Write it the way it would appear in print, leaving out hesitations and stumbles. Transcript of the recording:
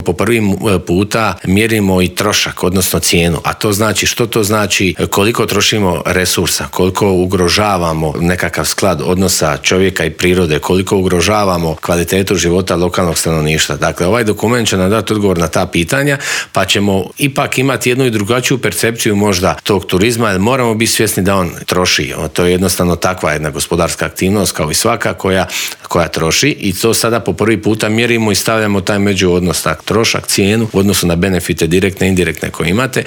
Po prvi puta mjerimo i trošak, odnosno cijenu, a to znači što to znači, koliko trošimo resursa, koliko ugrožavamo nekakav sklad odnosa čovjeka i prirode, koliko ugrožavamo kvalitetu života lokalnog stanovništva. Dakle, ovaj dokument će nam dati odgovor na ta pitanja, pa ćemo ipak imati jednu i drugačiju percepciju možda tog turizma, jer moramo biti svjesni da on troši. To je jednostavno takva jedna gospodarska aktivnost kao i svaka koja troši, i to sada po prvi puta mjerimo i stavljamo taj međuodnos, trošak, cijenu u odnosu na benefite direktne i indirektne koje imate.